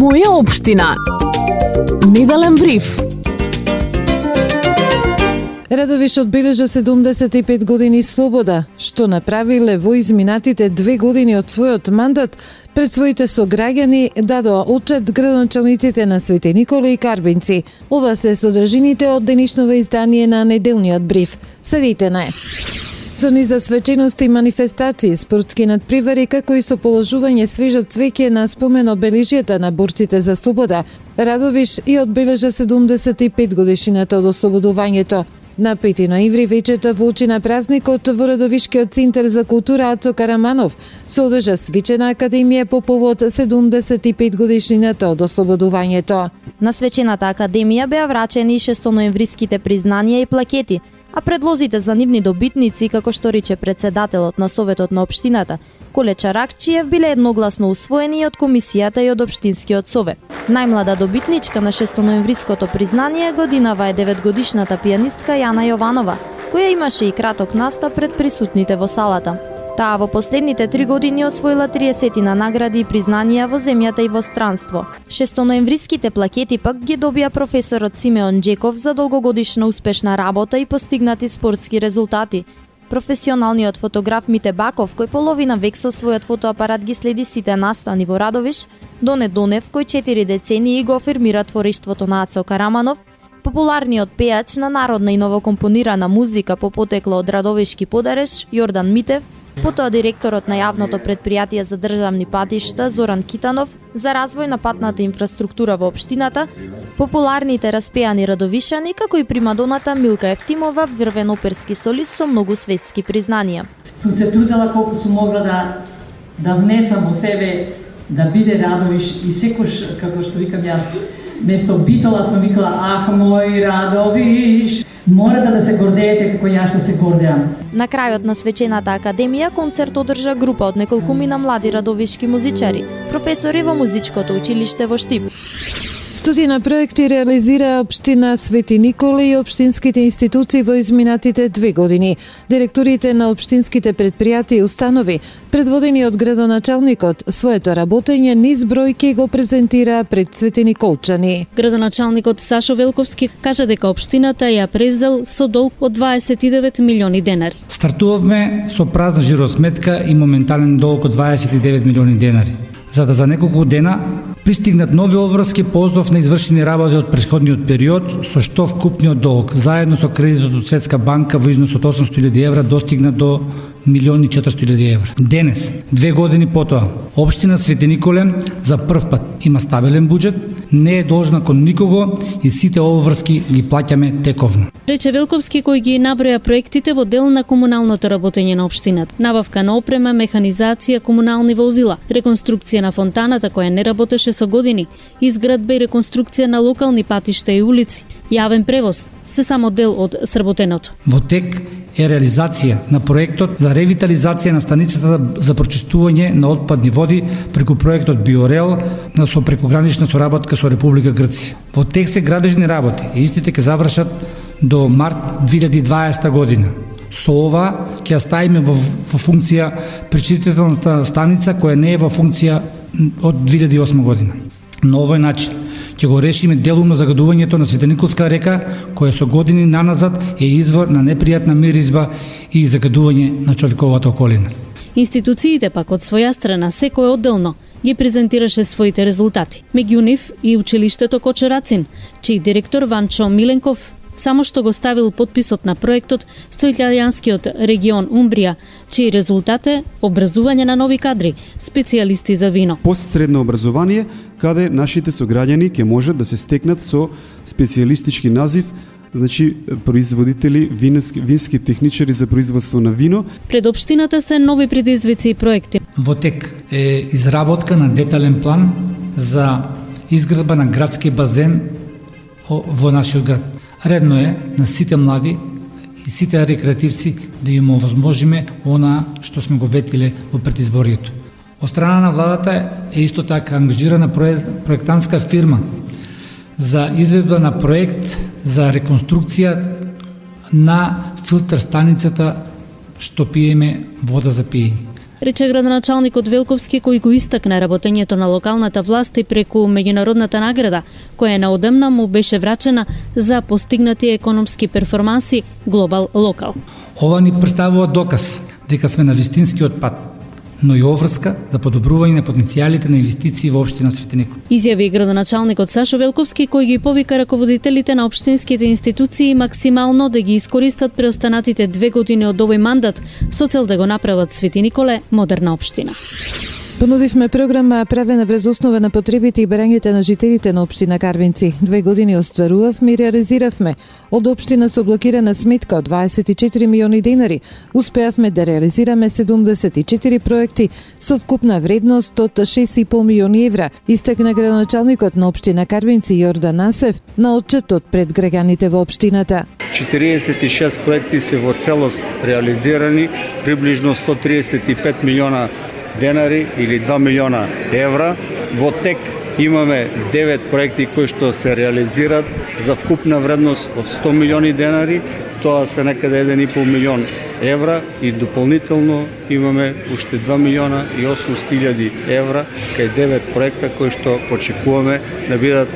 Моја општина. Неделен бриф. Радовиш одбележа 75 години слобода, што направиле во изминатите 2 години од својот мандат пред своите сограѓани дадоа отчет градоначалниците на Свети Никола и Карбинци. Ова се содржините од денешново издание на неделниот бриф. Следите на со низа свечености и манифестации, спортски надпревари, како и со положување свежо цвеќе на спомен обележјата на борците за слобода, Радовиш и одбележа 75 годишнината од ослободувањето. На 5 ноември вечерта во очи на празникот во Радовишкиот центар за култура Ацо Караманов се одржа свечена академија по повод 75 годишнината од ослободувањето. На свечената академија беа врачени 6-ноемвриските признанија и плакети, а предлозите за нивни добитници, како што рече председателот на Советот на општината, Коле Чаракчиев, биле едногласно усвоени од комисијата и од општинскиот совет. Најмлада добитничка на 6-ноемвриското признание годинава е 9-годишната пијанистка Јана Јованова, која имаше и краток настап пред присутните во салата. Таа во последните 3 години освоила 30 на награди и признанија во земјата и во странство. 6-ноемвриските плакети пак ги добија професорот Симеон Джеков за долгогодишна успешна работа и постигнати спортски резултати. Професионалниот фотограф Мите Баков, кој половина век со својот фотоапарат ги следи сите настани во Радовиш, Доне Донев, кој 4 децении го афирмира творештвото на Ацо Караманов, популарниот пејач на народна и новокомпонирана музика по потекло од Радовишки подареш Јордан Митев, потоа директорот на јавното претпријатие за државни патишта Зоран Китанов за развој на патната инфраструктура во општината, популарните распеани радовишани, како и примадоната Милка Ефтимова, врвен оперски солист со многу светски признанија. Сум се трудела колку сум могла да внесам во себе да биде Радовиш и секош, како што викам јас, место Битола сум викала, ах, мој Радовиш, морате да се гордеете како ја што се гордеам. На крајот на свечената академија концерт одржа група од неколкумина млади радовишки музичари, професори во музичкото училиште во Штип. Стотина проекти реализира општина Свети Никола и општинските институции во изминатите 2 години. Директорите на општинските претпријатија и установи, предводени од градоначалникот, своето работење низ бројки го презентира пред Свети Николчани. Градоначалникот Сашо Велковски кажа дека општината ја презел со долг од 29 милиони денари. Стартувавме со празна жиросметка и моментален долг од 29 милиони денари. За да за неколку дена пристигнат нови обврски по ознов на извршени работи од претходниот период, со што вкупниот долг, заедно со кредитот од Светска банка во износ од 800.000 евра, достигна до 1.400.000 евра. Денес, 2 години потоа, општина Свети Николе за прв пат има стабилен буџет, не е должна кон никого и сите обврски ги плаќаме тековно. Рече Велковски, кој ги наброја проектите во дел на комуналното работење на општината. Набавка на опрема, механизација, комунални возила, реконструкција на фонтаната која не работеше со години, изградба и реконструкција на локални патишта и улици, јавен превоз, се само дел од сработеното. Во тек е реализација на проектот за ревитализација на станицата за прочистување на отпадни води преку проектот Биорел со прекогранична соработка со Република Грција. Во тек се градежни работи и истите ќе завршат до март 2020 година. Со ова ќе ставиме во функција пречистителната станица која не е во функција од 2008 година. На овој начин ќе го решиме делумно загадувањето на Светениколска река, која со години наназад е извор на непријатна миризба и загадување на човековата околина. Институциите пак од своја страна секој одделно ги презентираше своите резултати. Меѓу нив и училиштето Кочерацин, чиј директор Ванчо Миленков само што го ставил подписот на проектот со италијанскиот регион Умбрија, чиј резултат е образување на нови кадри, специјалисти за вино. Постсредно образование, каде нашите сограѓани ќе можат да се стекнат со специјалистички назив, значи производители, вински техничари за производство на вино. Пред општината се нови предизвици и проекти. Во тек е изработка на детален план за изградба на градски базен во нашиот град. Редно е на сите млади и сите рекреативци да им овозможиме она што сме го ветиле во предизборието. Од страна на владата е исто така ангажирана проектантска фирма за изведба на проект за реконструкција на филтер станицата што пиеме вода за пиење. рече градоначалникот Велковски, кој го истакна работењето на локалната власт и преку меѓународната награда, која неодамна му беше врачена за постигнати економски перформанси Глобал Локал. Ова ни представува доказ дека сме на вистинскиот пат, но и оврска за подобрување на потенцијалите на инвестиции во општина Светиников. Изјави градоначалникот Сашо Велковски, кој ги повика раководителите на општинските институции максимално да ги искористат преостанатите 2 години од овој мандат со цел да го направат Свети Николе модерна општина. Понудивме програма правена врз основа на потребите и барањата на жителите на општина Карвинци. 2 години остварувавме и реализиравме. Од општина со блокирана сметка од 24 милиони денари, успеавме да реализираме 74 проекти со вкупна вредност од 6,5 милиони евра, истакна градоначалникот на општина Карвинци Јордан Насев на отчетот пред граѓаните во општината. 46 проекти се во целост реализирани, приближно 135 милиона денари или 2 милиона евра. Во тек имаме 9 проекти кои што се реализираат за вкупна вредност од 100 милиони денари, тоа се некаде 1,5 милион евра и дополнително имаме уште 2 милиона и 800 илјади евра кај 9 проекта кои што очекуваме да бидат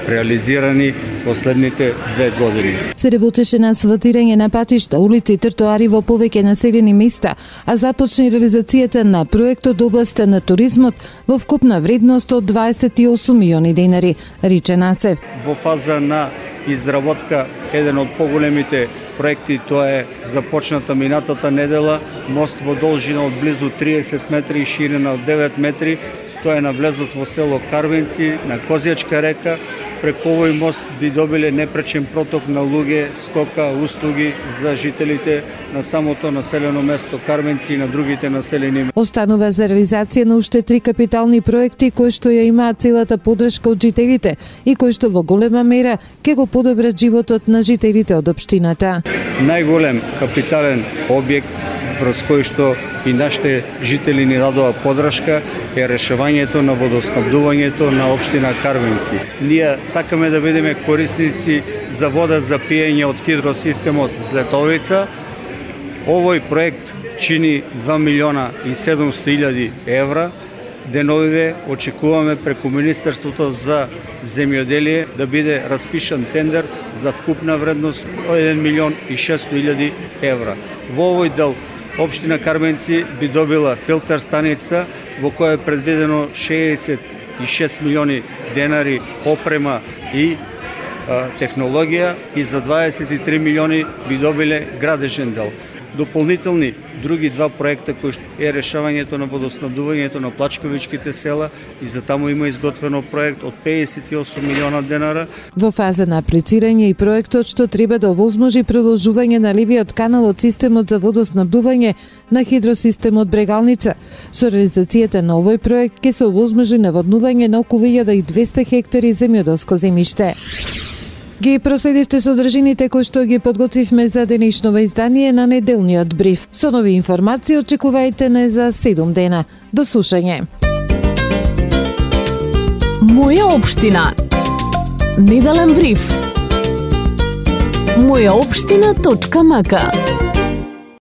реализирани последните 2 години. Се работеше на асфалтирање на патишта, улици и тротоари во повеќе населени места, а започна реализацијата на проектот областа на туризмот во вкупна вредност од 28 милиони денари, рече Насев. Во фаза на изработка еден од поголемите проекти, тоа е започната минатата недела, мост во должина од близу 30 метри и ширина од 9 метри. Тоа е на влезот во село Карвинци, на Козјачка река. Преку овој мост би добиле непречен проток на луѓе, стока, услуги за жителите на самото населено место Карвинци и на другите населени. Останува за реализација на уште 3 капитални проекти кои што ја имаат целата поддршка од жителите и кои што во голема мера ќе го подобрат животот на жителите од општината. Најголем капитален објект врз кој што и нашите жители ни дадоа поддршка е решавањето на водоснабдувањето на општина Карвинци. Ние сакаме да бидеме корисници за вода за пиење од хидросистемот Злетовица. Овој проект чини 2 милиона и 700 илјади евра. Деновиве очекуваме преку Министерството за земјоделие да биде распишан тендер за вкупна вредност од 1 милион и 600 илјади евра. Во овој дел општина Карвинци би добила филтер станица во која е предвидено 66 милиони денари опрема и технологија и за 23 милиони би добиле градежен дел. Дополнителни други 2 проекта кои е решавањето на водоснабдувањето на плачковичките села и за таму има изготвено проект од 58 милиона денара. Во фаза на аплицирање и проектот што треба да овозможи продолжување на ливиот канал од системот за водоснабдување на хидросистемот Брегалница. Со реализацијата на овој проект ќе се овозможи наводнување на околу 1200 хектари земјоделско земјиште. Ги проследивте содржините кои што ги подготвивме за денешново издание на неделниот бриф. Со нови информации очекувајте не за 7 дена. До слушање. Моја општина. Неделен бриф. Мојаопштина.мк